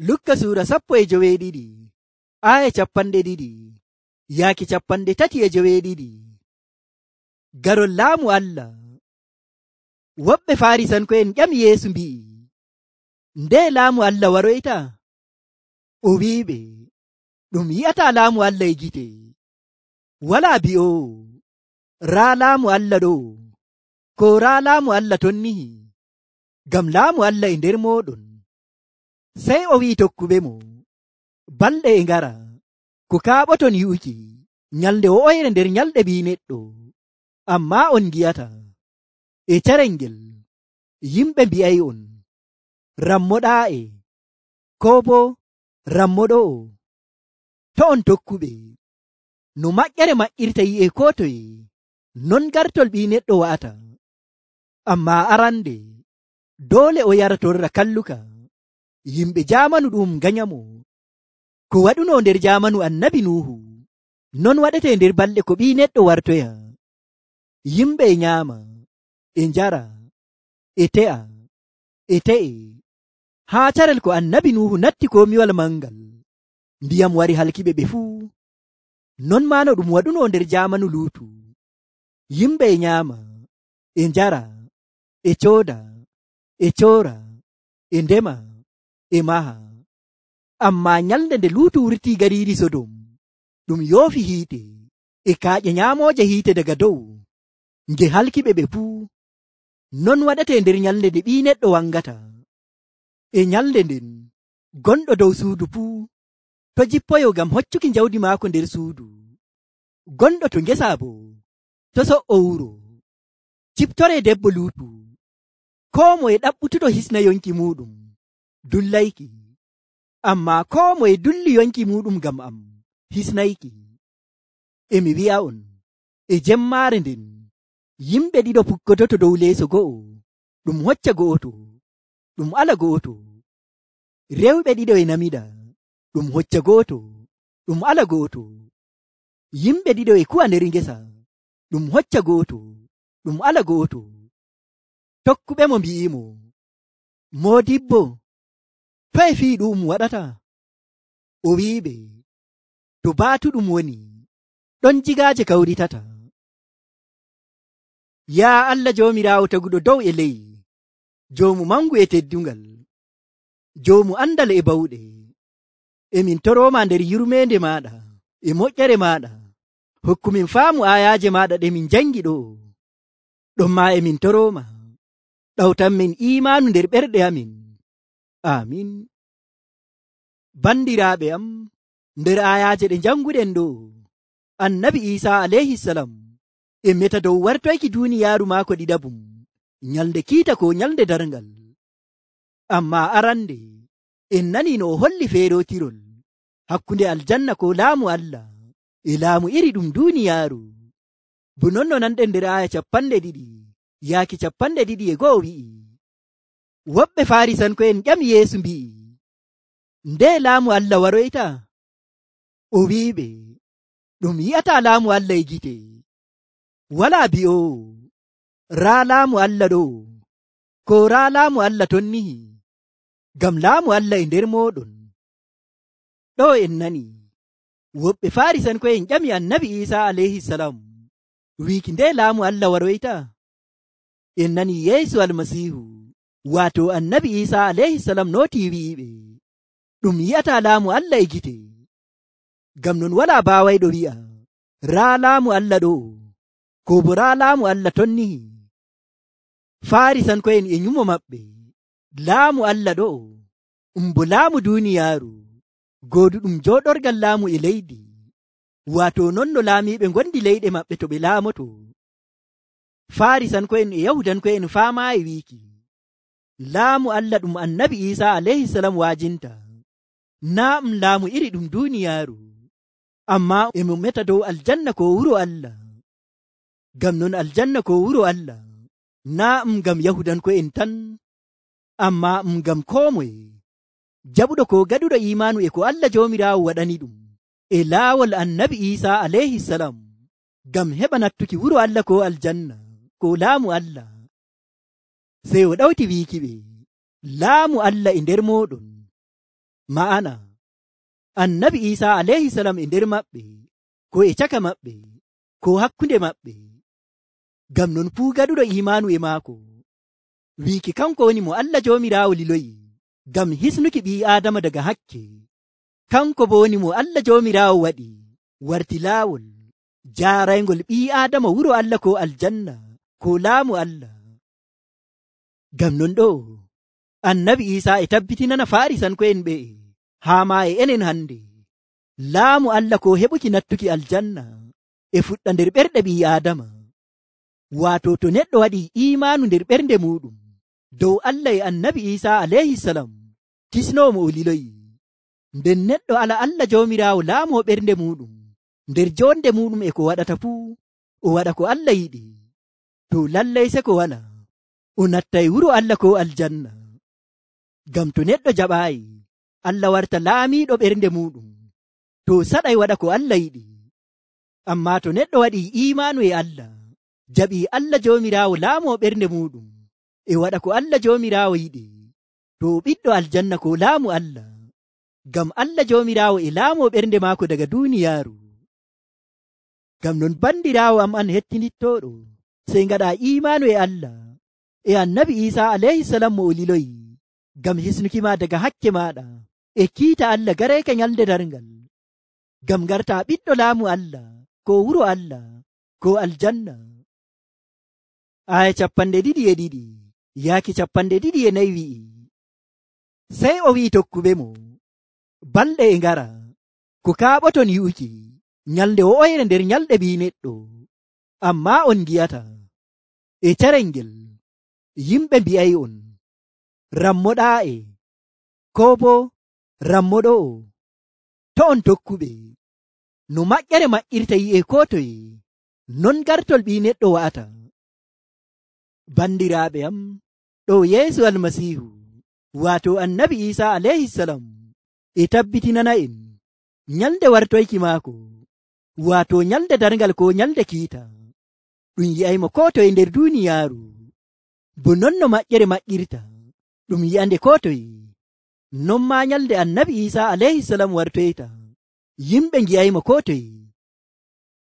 Lukka suura 12 aya 200 yaaki 32. Garol laamu Allah. Woɓɓe Faarisanko'en ƴami Yeesu mbi'i, nde laamu Allah waroyta? O wi'iɓe, ɗum yi'ataa laamu Allah e gite. Walaa bi'oowo, raa laamu Allah ɗo, ko raa laamu Allah ton nihi, ngam laamu Allah e nder mooɗon. Sey o wi'i tokkuɓemo, balɗe e ngara, ko kaaɓoton yi'uki nyalnde wo'oyre nder nyalɗe Ɓii Neɗɗo. Ammaa on ngi'ata, e carel ngel yimɓe mbi'ay'on, rammoɗaa'e, koo boo rammoɗo'o. To on tokkuɓe, no maƴƴere maƴƴirta yi'e koo toye, non gartol Ɓii Neɗɗo wa'ata. Ammaa arande, doole o yara torra kalluka. Yimɓe jaamanu ɗum nganyamo. Ko waɗuno nder jaamanu Annabi Nuuhu, non waɗete nder balɗe ko Ɓii Neɗɗo wartoya. Yimɓe e nyaama, e njara, e te'a, e te'e, haa carel ko Annabi Nuuhu natti komiwal mangal, ndiyam wari halkiɓe ɓe fuu. Non maa no ɗum waɗuno nder jaamanu Luutu. Yimɓe e nyaama, e njara, e cooda, e coora, e ndema, e maha. Ammaa nyalnde nde Luutu wurtii gariiri Sodom, ɗum yoofi hiite e kaaƴe nyaamooje hiite daga dow, nge halkiɓe ɓe fuu. Non waɗete nder nyalnde nde Ɓii Neɗɗo wangata. E nyalnde nden, gonɗo dow suudu fuu to jippoyo ngam hoccuki jawdi maako nder suudu. Gonɗo to ngesa boo to so''o wuro. Ciptoree debbo Luutu, koo moye ɗaɓɓutuɗo hisna yonki muuɗum dullayki. Ammaa koo moye dulli yonki muuɗum ngam am hisnayki. E mi wi'a'on, e jemmaare nden, yimɓe ɗiɗo pukkototo dow leeso go'o, ɗum hocca go'oto, ɗum ala go'oto. Rewɓe ɗiɗo e namida, ɗum hocca go'oto, ɗum ala go'oto. Yimɓe ɗiɗo e kuwa nder ngesa, ɗum hocca go'oto, ɗum ala go'oto. Tokkuɓemo mbi'imo, Moodibbo, toye fii ɗum waɗata? O wi'iɓe, to baatu ɗum woni, ɗon jigaaje kawritata. Yaa Allah Joomiraawo taguɗo dow e ley, Joomu mangu e teddungal, Joomu andal e bawɗe, emin torooma nder yurmeende maaɗa e moƴƴere maaɗa. Hokkumin faamu aayaaje maaɗa ɗe min jangi ɗo. Ɗonmaa emin torooma, ɗawtanmin iimaanu nder ɓerɗe amin. Amin. Bandiraaɓe am, nder aayaaje ɗe janguɗen ɗo, Annabi Iisaa alayhisalam e meta dow wartoyki duuniyaaru maako ɗiɗabum, nyalnde kiita ko nyalnde darngal. Ammaa arande, en nani no o holli feerotirol hakkunde aljanna ko laamu Allah e laamu iri ɗum duuniyaaru. Bo non no nanɗen nder aya 200 yaaki 201 wi'i, woɓɓe Faarisanko'en ƴami Yeesu mbi'i, nde laamu Allah waroyta? O wi'iɓe, ɗum yi'ataa laamu Allah e gite. Walaa bi'oowo, raa laamu Allah ɗo, ko raa laamu Allah ton nihi, ngam laamu Allah e nder mooɗon. Ɗo en nani, woɓɓe Faarisanko'en ƴami Annabi Iisaa alayhisalam wiiki nde laamu Allah waroyta. En nani Yeesu Almasiihu, waato Annabi Iisaa alayhisalam nootii wi'iɓe, ɗum yi'ataa laamu Allah e gite. Ngam non walaa baawayɗo wi'a, raa laamu Allah ɗo, ko bo raa laamu Allah ton nihi. Faarisanko'en e nyumo maɓɓe, laamu Allah ɗo, bo laamu duuniyaaru, gooduɗum jooɗorgal laamu e leydi, waato non no laamiiɓe ngondi leyɗe maɓɓe to ɓe laamoto. Faarisanko'en e Yahudanko'en faamaayi wiiki, laamu Allah ɗum Annabi Iisaa alayhisalam waajinta, naa laamu iri ɗum duuniyaaru, ammaa emo meta dow aljanna ko wuro Allah. Ngam non aljanna ko wuro Allah, naa ngam Yahudanko'en tan, ammaa ngam koo moye jaɓuɗo ko gaɗuɗo iimaanu e ko Allah Joomiraawo waɗani ɗum e laawol Annabi Iisaa alayhisalam, ngam heɓa nattuki wuro Allah ko aljanna ko laamu Allah. Sey o ɗawti wiikiɓe, laamu Allah e nder mooɗon, ma'ana annabi Isa alayhi salam e nder maɓɓe ko e caka maɓɓe ko hakkunde maɓɓe. Ngam non fuu gaɗuɗo imanu e maako wiiki kanko woni mo Allah Joomiraawo liloyi ngam hisnuki ɓii Aadama daga hakke, kanko bo woni mo Allah Joomiraawo waɗi warti laawol jaaraygol ɓii Aadama wuro Allah ko aljanna ko laamu Allah. Ngam non ɗo annabi Isa e tabbitinana Faarisanko'en ɓe'e haa ma e enen hande laamu Allah ko heɓuki nattuki aljanna e fuɗɗa nder ɓerɗe ɓii Aadama. Waato to neɗɗo waɗi imanu nder ɓernde muɗum dow Allah e annabi Isa alayhi salam kisnomo o liloyi, nden neɗɗo ala Allah Joomiraawo laamo ɓernde muɗum nder jonde muɗum e ko waɗata fuu o waɗa ko Allah yiɗi, to lallay se ko wala o nattay wuro Allah ko aljanna. Ngam to neɗɗo jaɓaayi Allah warta laamiiɗo ɓernde muɗum to saɗay waɗa ko Allah yiɗi. Amma to neɗɗo waɗi imanu e Allah jaɓi Allah Joomiraawo laamo ɓernde muɗum e waɗa ko Allah Joomiraawo yiɗi, to ɓiɗɗo aljanna ko laamu Allah, ngam Allah Joomiraawo e laamo ɓernde maako daga duuniyaaru. Ngam non bandiraawo am an hettinittoɗo, sey ngaɗa imanu e Allah e annabi Isa alayhi salam mo o liloyi ngam hisnuki ma daga hakke maɗa e kiita Allah gareka nyalde darngal, ngam garta ɓiɗɗo laamu Allah ko wuro Allah ko aljanna. Aya 22 yaaki 24 wi'i, sey o wi'i tokkuɓe mo, balɗe e ngara ko kaaɓoton yi'uki nyalde wo'oyre nder nyalɗe ɓii neɗɗo, amma on ngi'ata. E carel ngel yimɓe mbi'ay'on rammoɗaa'e ko bo rammoɗo'o. To on tokkuɓe, no maƴƴere maƴƴirta yi'e ko toye, non gartol ɓii neɗɗo wa'ata. Bandiraaɓe am, ɗo Yeesu Almasiihu waato annabi Isa alayhi salam e tabbitinana en nyalde wartoyki maako, waato nyalde darngal ko nyalde kiita, ɗum yi'aymo ko toye nder duuniyaaru, bo non no maƴƴere maƴƴirta ɗum yi'ande ko toye, non ma nyalde annabi Isa alayhi salam wartoyta yimɓe ngi'aymo ko toye.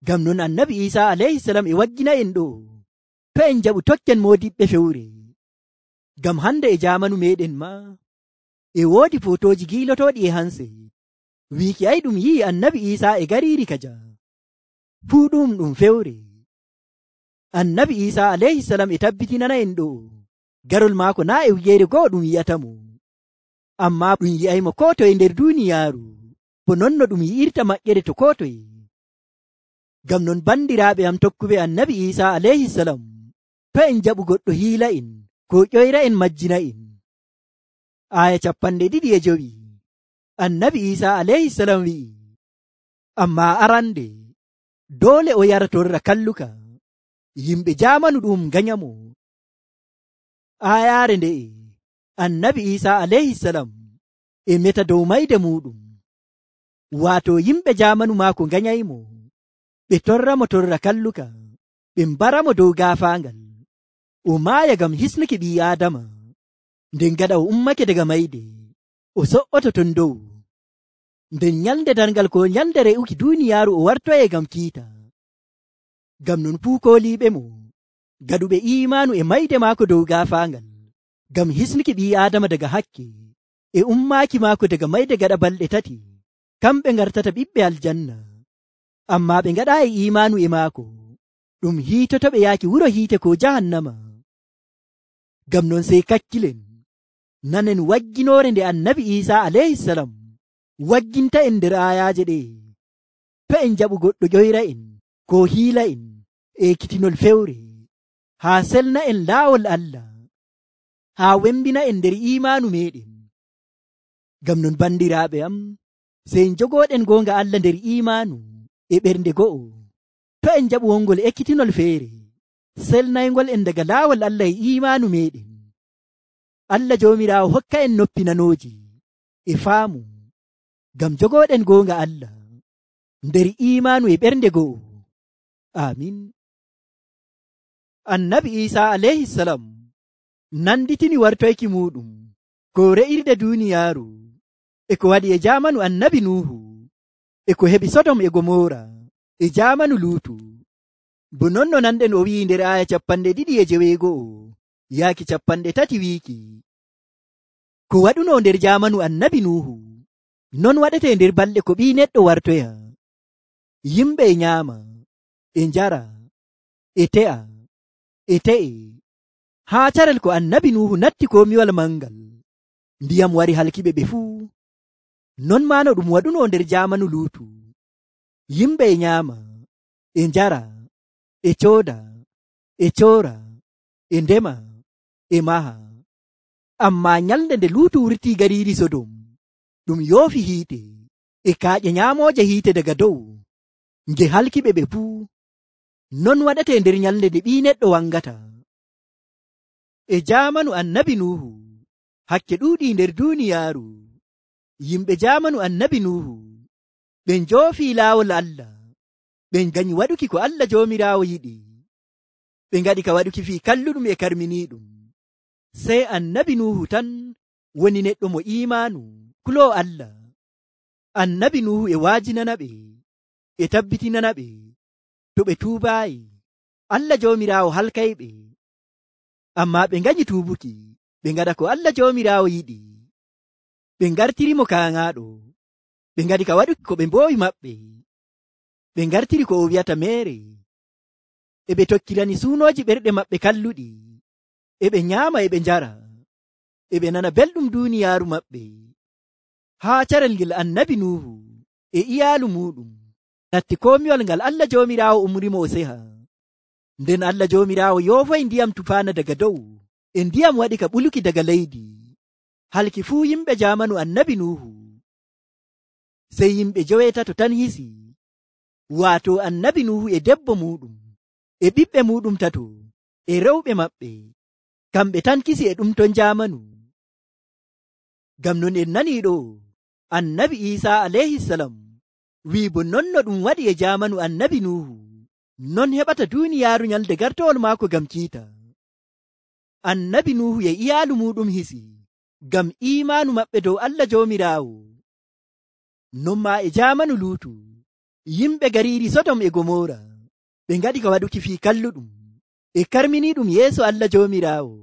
Ngam non annabi Isa alayhi salam e waggina en ɗo to en jaɓu tokken moodiɓɓe fewre, ngam hande e jamanu meɗen ma e woodi fotoji giilotoɗi e hanse wiiki ay ɗum yi'i annabi Isa e gariiri kaja, fuu ɗum fewre. Annabi Isa alayhi salam e tabbitinana en ɗo garol maako na e wiyeere goo ɗum yi'atamo, amma ɗum yi'aymo ko toye nder duuniyaaru, bo non no ɗum yi'irta maƴƴere to ko toye. Ngam non bandiraaɓe am tokkuɓe annabi Isa alayhi salam, to en jaɓu goɗɗo hiila en ko ƴoyra en majjina en. Aya 25 annabi Isa alayhi salam wi'i, amma arande doole o yara torra kalluka yimɓe jamanu ɗum nganyamo. Ayaare nde'e annabi Isa alayhi salam e meta dow mayde muɗum, waato yimɓe jamanu maako nganyaymo, ɓe torramo torra kalluka, ɓe mbaramo dow gaafaangal, o maaya ngam hisnuki ɓii Aadama. Nden gaɗa o ummake daga mayde o so'oto ton dow, nden nyalde darngal ko nyalde re'uki duuniyaaru o wartoye ngam kiita. Ngam non fuu kooliiɓe mo gaɗuɓe imanu e mayde maako dow gaafaangal ngam hisnuki ɓii Aadama daga hakke e ummaaki maako daga mayde gaɗa balɗe 3, kamɓe ngartata ɓiɓɓe aljanna. Amma ɓe ngaɗaayi imanu e maako, ɗum hiitotoɓe yaaki wuro hiite ko jahannama. Ngam non sey kakkilen nanen wagginoore nde annabi Isa alayhi salam wagginta en nder ayaaje ɗe, to en jaɓu goɗɗo ƴoyra en ko hiila en e ekkitinol fewre haa selna en laawol Allah, haa wembina en nder imanu meɗen. Ngam non bandiraaɓe am, sey jogoɗen goonga Allah nder imanu e ɓernde go'o, to en jaɓu wongol ekkitinol feere selnaygol en daga laawol Allah e imanu meɗen. Allah Joomiraawo hokka en noppi nanooji e faamu ngam jogoɗen goonga Allah nder imanu e ɓernde go'o. Amin. Annabi Isa alayhi salam nanditini wartoyki muɗum ko re'irde duuniyaaru e ko waɗi e jamanu annabi Nuhu, e ko heɓi Sodom e Gomora e jamanu Luutu. Bo non no nanɗen o wi'i nder aya 2:9 yaaki 3 wiiki, ko waɗuno nder jamanu annabi Nuhu non waɗete nder balɗe ko ɓii neɗɗo wartoya. Yimɓe e nyaama, e njara, e te'a, e te'e, haa carel ko annabi Nuhu natti komiwal mangal, ndiyam wari halkiɓe ɓe fuu. Non maa no ɗum waɗuno nder jamanu Luutu. Yimɓe e nyaama, e njara, e cooda, e coora, e ndema, e maha. Ammaa nyalnde nde Luutu wurtii gariiri Sodom, ɗum yoofi hiite e kaaƴe nyaamooje hiite daga dow, nge halkiɓe ɓe fuu. Non waɗete nder nyalnde nde ɓii neɗɗo wangata. E jamanu annabi Nuhu hakke ɗuuɗii nder duuniyaaru. Yimɓe jamanu annabi Nuhu ɓe njoofii laawol Allah, ɓe nganyi waɗuki ko Allah Joomiraawo yiɗi, ɓe ngaɗi ka waɗuki fii kalluɗum e karminiiɗum. Sey annabi Nuhu tan woni neɗɗo mo iimaanu kuloo Allah. Annabi Nuhu e waajinana ɓe, e tabbitinana ɓe to ɓe tuubaayi Allah Joomiraawo halkayɓe. Ammaa ɓe nganyi tuubuki, ɓe ngaɗa ko Allah Joomiraawo yiɗi. Ɓe ngartirimo kaaŋaaɗo, ɓe ngaɗi ka waɗuki ko ɓe mboowi maɓɓe. Ɓe ngartiri ko o wi'ata meere, e ɓe tokkirani suunooji ɓerɗe maɓɓe kalluɗi, e ɓe nyaama e ɓe njara, e ɓe nana belɗum duuniyaaru maɓɓe. Haa carel ngel annabi Nuhu e iyaalu muɗum natti komiwal ngal Allah Joomiraawo umrimo o seha. Nden Allah Joomiraawo yoofoy ndiyam tufaana daga dow, e ndiyam waɗi ka ɓuluki daga leydi, halki fuu yimɓe jamanu annabi Nuhu. Sey yimɓe 9 tan hisi, waato annabi Nuhu e debbo muɗum, e ɓiɓɓe muɗum 3, e rewɓe maɓɓe, kamɓe tan kisi e ɗum ton jamanu. Ngam non en nanii ɗo annabi Iisaa alayhisalam wi'i bo non no ɗum waɗi e jamanu annabi Nuhu, non heɓata duuniyaaru nyalde gartowol maako ngam kiita. Annabi Nuhu e iyaalu muɗum hisi ngam iimaanu maɓɓe dow Allah Joomiraawo. Non maa e jamanu Luutu, yimɓe gariiri Sodom e Gomora ɓe ngaɗi ka waɗuki fii kalluɗum e karminiiɗum yeeso Allah Joomiraawo.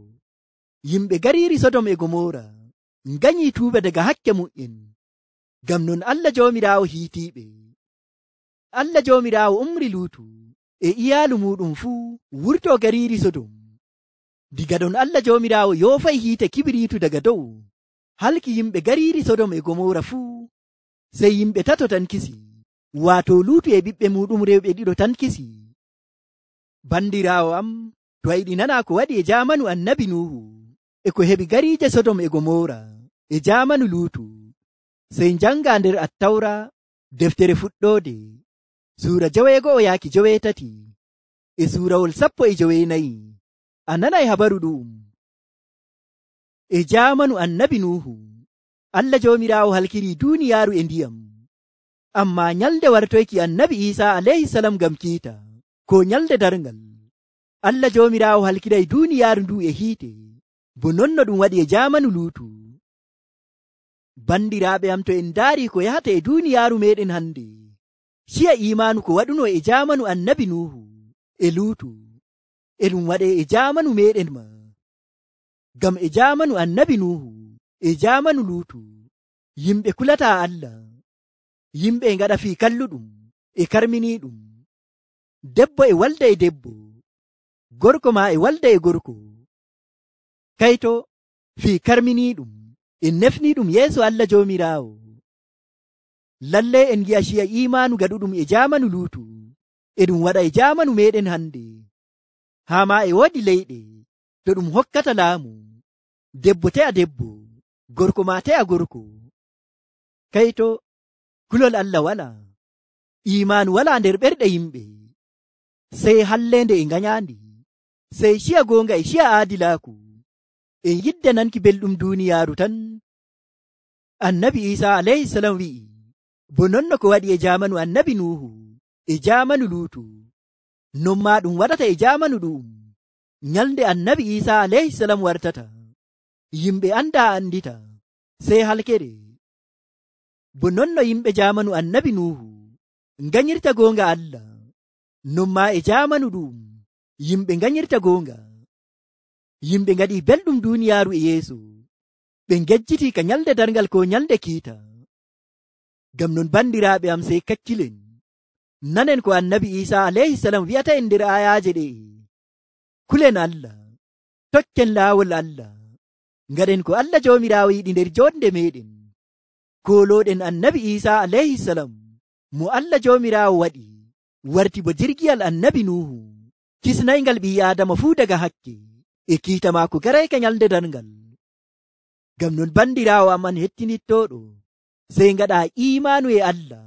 Yimɓe gariiri Sodom e Gomora nganyii tuuba daga hakke mu'en, ngam non Allah Joomiraawo hiitiiɓe. Allah Joomiraawo umri Luutu e iyaalu muɗum fuu wurtoo gariiri Sodom. Diga ɗon Allah Joomiraawo yoofay hiite kibiriitu daga dow halki yimɓe gariiri Sodom e Gomora fuu. Sey yimɓe 3 tan kisi, waato Luutu e ɓiɓɓe muɗum rewɓe 2 tan kisi. Bandiraawo am, to a yiɗi nana ko waɗi e jamanu annabi Nuhu e ko heɓi gariije Sodom e Gomora e jamanu Luutu, sey njanga nder Attawra deftere fuɗɗoode suura 9 yaaki 9 e suurawol 14. A nanay habaru ɗum. E jamanu annabi Nuhu Allah Joomiraawo halkiri duuniyaaru e ndiyam, ammaa nyalde wartoyki annabi Iisaa alayhisalam ngam kiita, ko nyalde darngal, Allah Joomiraawo halkiray duuniyaaru ndu e hiite, bo non no ɗum waɗi e jamanu Luutu. Bandiraaɓe am, to en ndaari ko yahata e duuniyaaru meɗen hande, ciya imaanu ko waɗuno e jamanu annabi Nuhu e Luutu, e ɗum waɗe e jamanu meɗen ma. Ngam e jamanu annabi Nuhu e jamanu Luutu, yimɓe kulataa Allah, yimɓe e ngaɗa fii kalluɗum e karminiiɗum. Debbo e walda e debbo, gorko ma e walda e gorko. Kayto fii karminiiɗum en nefniiɗum yeeso Allah Joomiraawo. Lallay en gi'a ciya imaanu gaɗuɗum e jamanu Luutu e ɗum waɗa e jamanu meɗen hande. Haa ma e woodi leyɗe to ɗum hokkata laamu, debbo te'a debbo, gorko ma te'a gorko. Kayto kulol Allah wala, imaanu wala nder ɓerɗe yimɓe, sey hallende e nganyandi, sey ciya goonga e ciya aadilaaku, e yidde nanki belɗum duuniyaaru tan. Annabi Iisaa alayhisalam wi'i, bo non no ko waɗi e jamanu annabi Nuhu e jamanu Luutu, non ma ɗum waɗata e jamanu ɗum. Nyalde annabi Iisaa alayhisalam wartata, yimɓe anda andita, sey halkere. bo non no yimɓe jamanu annabi Nuhu nganyirta gonga Allah, non ma e jamanu ɗum yimɓe nganyirta gonga. Yimɓe ngaɗi belɗum duniyaaru e Yeesu, ɓe ngejjiti ka nyalde darngal ko nyalde kiita. Ngam non bandiraaɓe am, sey kakkilen nanen ko annabi Isa alayhi salam wi'ata en nder ayaaje ɗe. Kulen Allah, tokken laawol Allah, ngaɗen ko Allah joomiraawo yiɗi nder jonde meɗen. Kolooɗen annabi Isa alayhi salam mo Allah joomiraawo waɗi warti bo jirgiyal annabi Nuhu, kisnayngal ɓii Aadama fuu daga hakke, e kiita maako garayka nyalde darngal. Ngam non bandiraawo am an hettinittoɗo, sey ngaɗa imaanu e Allah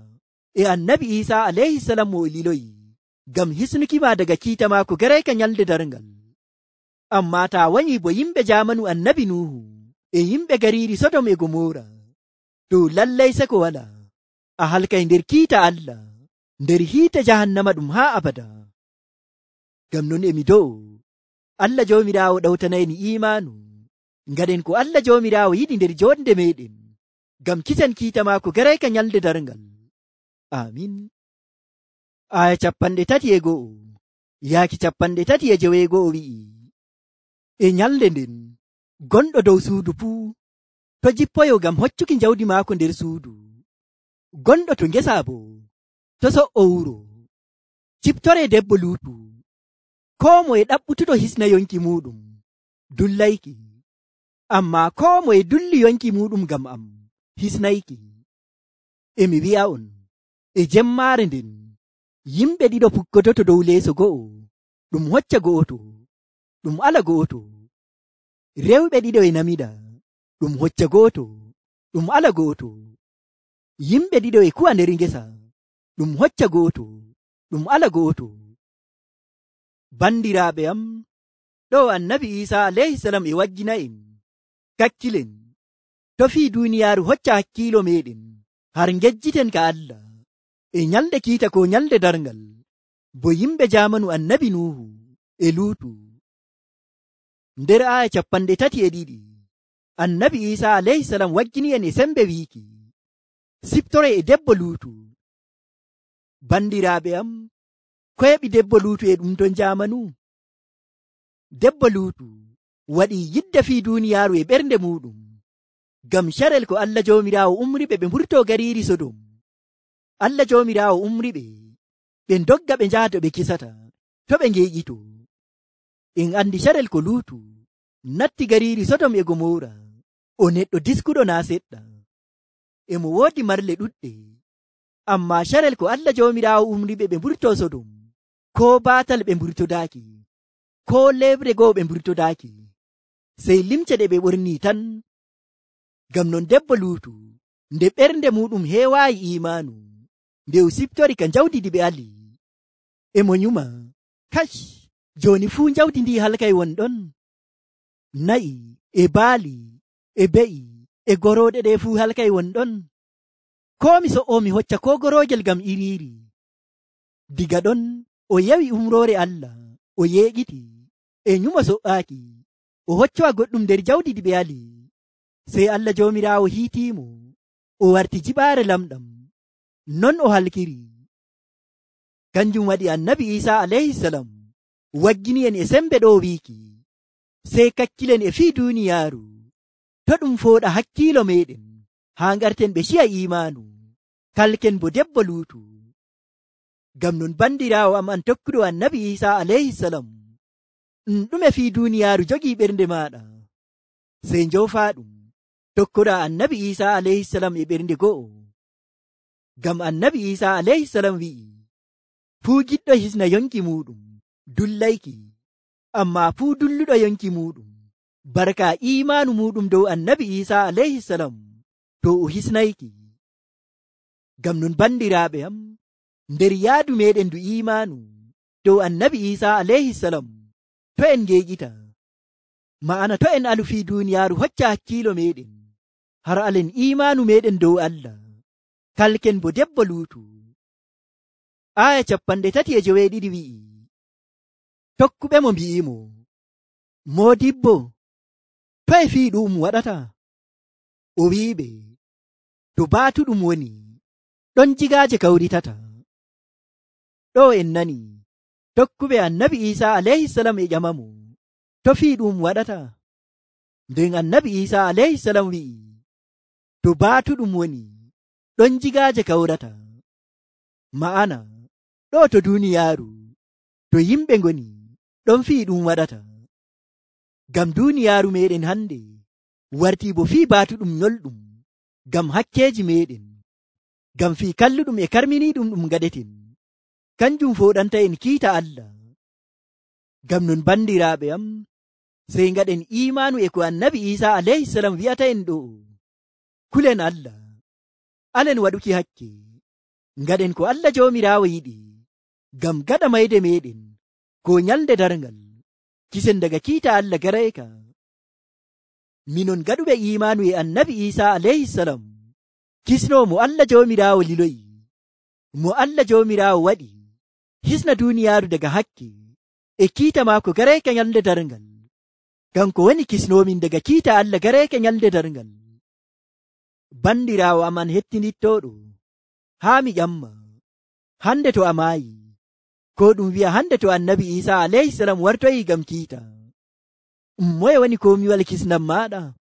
e annabi Isa alayhi salam mo liloyi, ngam hisnukima daga kiita maako garayka nyalde darngal. Amma ta wanyi bo yimɓe jamanu annabi Nuhu e yimɓe gariiri Sodom e Gomora, to lallay seko wala a halkay nder kiita Allah, nder hiite jahannama ɗum haa abada. Ngam non emi do'o Allah joomiraawo ɗawtanayni imaanu, ngaɗen ko Allah joomiraawo yiɗi nder jonde meɗen, ngam kisen kiita maako garayka nyalde darngal. Amin. Aya 31 yaaki 31 wi'i, e nyalde nden gonɗo dow suudu fuu to jippoyo ngam hoccuki jawdi maako nder suudu, gonɗo to ngesa bo to so'o wuro. Ciptore debbo Luutu, koo moye ɗaɓɓutuɗo hisna yonki muɗum dullayki, amma koo moye dulli yonki muɗum ngam am hisnayki. Emi wi'a on, e jemmaare nden yimɓe ɗiɗo pukkodoto dow leeso go'o, ɗum hocca go'oto, ɗum ala go'oto. Rewɓe ɗiɗo e namida, ɗum hocca go'oto, ɗum ala go'oto. Yimɓe ɗiɗo e kuwa nder ngesa, ɗum hocca go'oto, ɗum ala go'oto. Bandiraaɓe am, ɗo annabi Isa alayhi salam e waggina en, kakkilen to fii duniyaaru hocca hakkiilo meɗen har ngejjiten ka Allah e nyalde kiita ko nyalde darngal, bo yimɓe jamanu annabi Nuhu e Luutu. Nder aya 32 annabi Isa alayhi salam waggini en e sembe wiiki, siftore e debbo Luutu. Bandiraaɓe am, ko heɓi debbo Luutu e ɗum ton jamanu? Debbo Luutu waɗi yidde fii duniyaaru e ɓernde muɗum, ngam carel ko Allah joomiraawo umriɓe ɓe mburto gariiri Sodom. Allah joomiraawo umriɓe ɓe dogga ɓe njahdo ɓe kisata to ɓe ngeeƴito. En andi carel ko Luutu natti gariiri Sodom e Gomora, o neɗɗo diskuɗo naa seɗɗa, e mo woodi marle ɗuɗɗe. Amma carel ko Allah joomiraawo umriɓe ɓe mburto Sodom, ko baatal ɓe mburtodaaki, ko lebre goo ɓe mburtodaaki, sey limce ɗe ɓe ɓorni tan. Ngam non debbo Luutu nde ɓernde muɗum heewaayi imaanu, nde o siftori ka jawdi ndi ɓe ali, e mo nyuma, kash, jooni fuu jawdi ndi halkay wonɗon. Na'i e baali e be'i e gorooɗe ɗe fuu halkay wonɗon. Ko mi so'o mi hocca ko goroojel ngam iriiri. Diga ɗon o yawi umroore Allah, o yeeƴiti e nyuma so'aaki, o hoccowa goɗɗum nder jawdi ndi ɓe ali. Sey Allah joomiraawo hiitiimo, o warti jiɓaare lamɗam, non o halkiri. Kanjum waɗi annabi Isa alayhi salam waggini en e sembe ɗo wiiki, sey kakkilen e fii duniyaaru to ɗum fooɗa hakkiilo meɗen haa ngarten ɓe ciya imaanu, kalken bo debbo Luutu. Ngam non bandiraawo am an tokkuɗo annabi Isa alayhi salam, ɗume fii duniyaaru jogii ɓernde maaɗa, sey njoofaɗum tokkoɗa annabi Isa alayhi salam e ɓernde go'o. Ngam annabi Isa alayhi salam wi'i, fuu giɗɗo hisna yonki muɗum dullayki, amma fuu dulluɗo yonki muɗum barka imaanu muɗum dow annabi Isa alayhi salam to o hisnayki. Ngam non bandiraaɓe am, nder yaadu meɗen ndu imaanu dow annabi Isa alayhi salam, to en ngeeƴita, ma'ana to en alu fii duniyaaru hocca hakkiilo meɗen har alen imaanu meɗen dow Allah, kalken bo debbo Luutu. Aya 32 wi'i, tokkuɓe mo mbi'imo, Moodibbo, toye fii ɗum waɗata? O wi'iɓe, to baatuɗum woni ɗon jigaaje kawritata. ɗo en nani tokkuɓe annabi Isa alayhisalam e ƴamamo to fii ɗum waɗata. nden annabi Isa alayhisalam wi'i to baatuɗum woni ɗon jigaaje kawrata. ma'ana ɗo to duniyaaru to yimɓe ngoni ɗon fii ɗum waɗata. ngam duniyaaru meɗen hande wartii bo fii baatuɗum nyolɗum ngam hakkeeji meɗen, ngam fii kalluɗum e karminiiɗum ɗum gaɗeten, kanjum foɗanta en kiita Allah. ngam non bandiraaɓe am, sey ngaɗen imaanu e ko annabi Isa alayhisalam wi'ata en ɗo. kulen Allah, alen waɗuki hakke, ngaɗen ko Allah joomiraawo yiɗi, ngam gaɗa mayde meɗen ko nyalde darngal kisen daga kiita Allah garayka. minon gaɗuɓe imaanu e annabi Isa alayhisalam kisno mo Allah joomiraawo liloyi, mo Allah joomiraawo waɗi hisna duniyaaru daga hakke e kiita maako garayka nyalde darngal. kanko woni kisnomin daga kiita Allah garayka nyalde darngal. bandiraawo am an hettinittoɗo, haa mi ƴamma, hande to a maayi, ko ɗum wi'a hande to annabi Isa alayhisalam wartoyi ngam kiita, moye woni komiwal kisnam maɗa?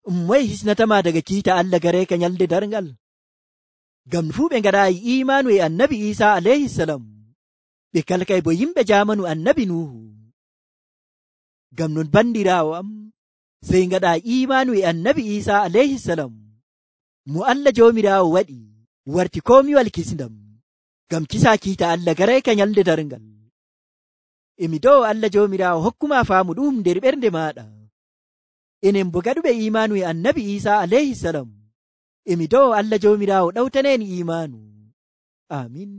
moye hisnatama daga kiita Allah garayka nyalde darngal? ngam fuu ɓe ngaɗayi imaanu e annabi Isa alayhisalam, ɓe kalkay bo yimɓe jamanu annabi Nuhu. ngam non bandiraawo am, sey ngaɗa imaanu e annabi Isa alayhisalam, mo Allah joomiraawo waɗi warti komiwal kisndam, ngam kisa kiita Allah garayka nyalde darngal. emi dow Allah joomiraawo hokkuma faamu ɗum nder ɓernde maɗa. enen bo gaɗuɓe imaanu e annabi Isa alayhisalam, emi dow Allah joomiraawo ɗawtaneni imaanu. amin.